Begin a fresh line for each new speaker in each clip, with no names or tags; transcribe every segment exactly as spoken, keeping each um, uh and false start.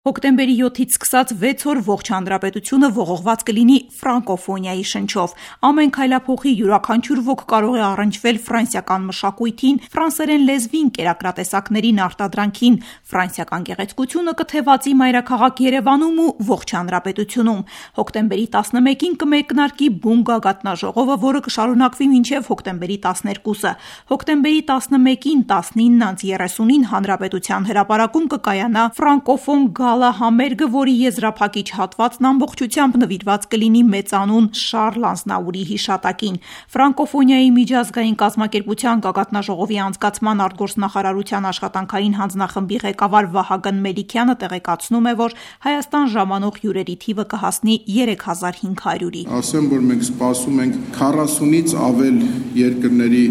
Հոկտեմբերի յոթից սկսած վեց օր ողջ հանրապետությունը ողողված կլինի ֆրանկոֆոնիայի շնչով։ Ամեն քայլափոխի յուրաքանչյուր ոք կարող է առնչվել ֆրանսիական մշակույթին, ֆրանսերեն լեզվին, կերակրատեսակներին, արտադրանքին, ֆրանսիական գեղեցկությունը կթևածի մայրաքաղաք Երևանում ու ողջ հանրապետությունում։ Հոկտեմբերի տասնմեկին կմեկնարկի բուն գագաթնաժողովը, որը կշարունակվի մինչև հոկտեմբերի տասներկուսը։ Հոկտեմբերի տասնմեկին տասնինն երեսունին հանրապետության հրապարակում կկայանա ֆրանկոֆոն գալա համերգը, որի եզրափակիչ հատվածն ամբողջությամբ նվիրված կլինի մեծանուն Շարլ Ազնավուրի հիշատակին։ Ֆրանկոֆոնիայի միջազգային կազմակերպության գագաթնաժողովի անցկացման արտգործնախարարության աշխատանքային հանձնախմբի ղեկավար Վահագն Մելիքյանը տեղեկացնում է, որ Հայաստան ժամանող հյուրերի թիվը կհասնի երեք հազար հինգ հարյուրի։
Ասեմ, որ մենք սպասում ենք քառասունից ավել երկրների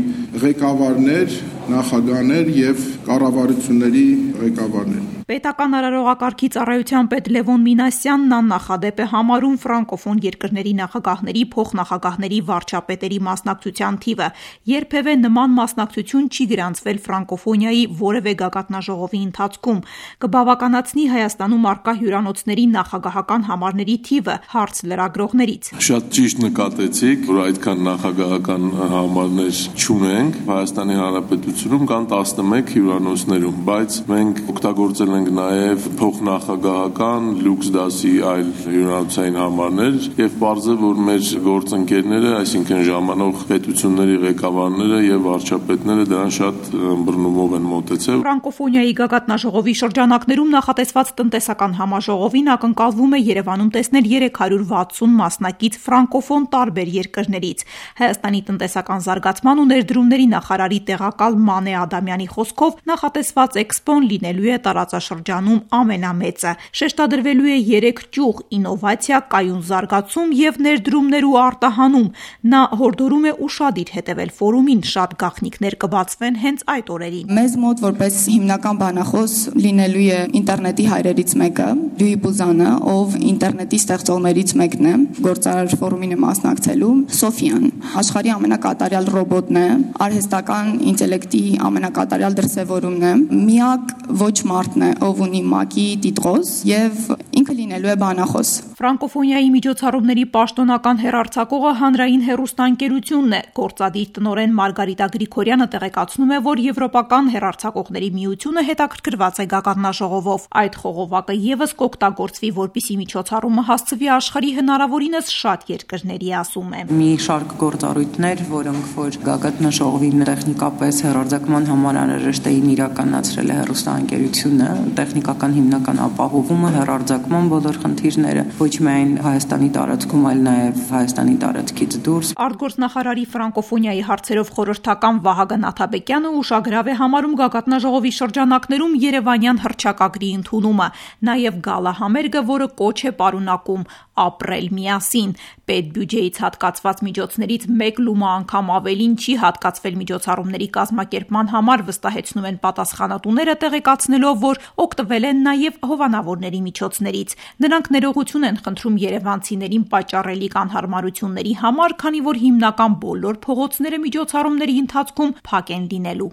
ղեկավարներ, նախագահներ եւ կառավարությունների ղեկավարներ։
Պետական արարողակարգի ծառայության պետ Լևոն Մինասյանն աննախադեպ է համարում ֆրանկոֆոն երկրների նախագահների, փոխնախագահների, վարչապետերի մասնակցության թիվը։ Երբևէ նման մասնակցություն չի գրանցվել ֆրանկոֆոնիայի որևէ գագաթնաժողովի ընթացքում։ Կբավականացնի Հայաստանում առկա հյուրանոցների նախագահական համարների թիվը, հարց լրագրողներից։
Շատ ճիշտ նկատեցիք, որ այդքան նախագահական համարներ չունենք Հայաստանի Հանրապետությունում, կան տասնմեկ հյուրանոցներում, բայց մենք օգտագործել ենք նաև փոխնախագահական լյուքս դասի այլ հյուրանոցային համարներ եւ պարզ է, որ մեր գործընկերները, այսինքն ժամանող պետությունների ղեկավարները եւ վարչապետները դրան շատ ըմբռնումով են մոտեցել։
Ֆրանկոֆոնիայի գագաթնաժողովի շրջանակներում նախատեսված տնտեսական համաժողովին ակնկալվում է Երևանում տեսնել երեք հարյուր վաթսուն մասնակից ֆրանկոֆոն տարբեր երկրներից։ Հայաստանի տնտեսական զարգացման ու ներդրումների նախարարի տեղակալ Մանե Ադամյանի խոսքով նախատեսված էքսպոն լինելու է տարածաշրջանում ամենամեծը։ Շեշտադրվելու է երեք ճյուղ՝ ինովացիա, կայուն զարգացում եւ ներդրումներ ու արտահանում։ Նա հորդորում է ուշադիր հետևել ֆորումին, շատ գաղտնիքներ կբացվեն հենց այդ օրերին։
Մեզ մոտ որպես հիմնական բանախոս լինելու է ինտերնետի հայրերից մեկը, Լյուի Բուզանը, ով ինտերնետի ստեղծողներից մեկն է, գործարար ֆորումին է մասնակցելու, Սոֆիան, աշխարհի ամենակատարյալ ռոբոտն է, արհեստական ինտելեկտի ամենակատարյալ դրսևորումն է, միակ ոչ մարդն է, ով ունի ՄԱԿ-ի տիտղոս եւ ինքը լինելու է բանախոս։
Ֆրանկոֆոնիայի միջոցառումների պաշտոնական հեռարձակողը հանրային հեռուստաընկերությունն է։ Գործադիր տնօրեն Մարգարիտա Գրիգորյանը տեղեկացնում է, որ Եվրոպական հեռարձակողների միությունը հետաքրքրված է գագաթնաժողովով։ Այդ խողովակը եւս կօգտագործվի, որպիսի միջոցառումը հասցվի աշխարհի հնարավորինս շատ երկրների, ասում է։
Մի շարք գործառույթներ, որոնք որ գագաթնաժողովի տեխնիկապես հեռարձակման համար անհրաժեշտ էին իրականացրել է հեռուստաընկերությունը, տեխնիկական հիմնական ապահովումը, հեռարձակման բոլոր խնդիրները, ոչ միայն Հայաստանի տարածքում, այլ նաև Հայաստանի տարածքից դուրս։
Արտգործնախարարի ֆրանկոֆոնիայի հարցերով խորհրդական Վահագն Աթաբեկյանը ուշագրավ է համարում գագաթնաժողովի շրջանակներում երևանյան հռչակագրի ընդունումը, նաև գալա համերգը, որը կոչ է պարունակում ապրել միասին։ Պետբյուջեից հատկացված միջոցներից մեկ լումա անգամ ավելին չի հատկացվել միջոցառումների կազմակերպման համար, վստահեցնում են պատասխանատուները, տեղեկացնելով, որ օգտվել են նաև հովանավորների միջոցներից։ Նրանք ներողություն են խնդրում երևանցիներին պատճառելի կանհարմարությունների համար, քանի որ հիմնական բոլոր փողոցները միջոցառումների ընթացքում փակ են լինելու։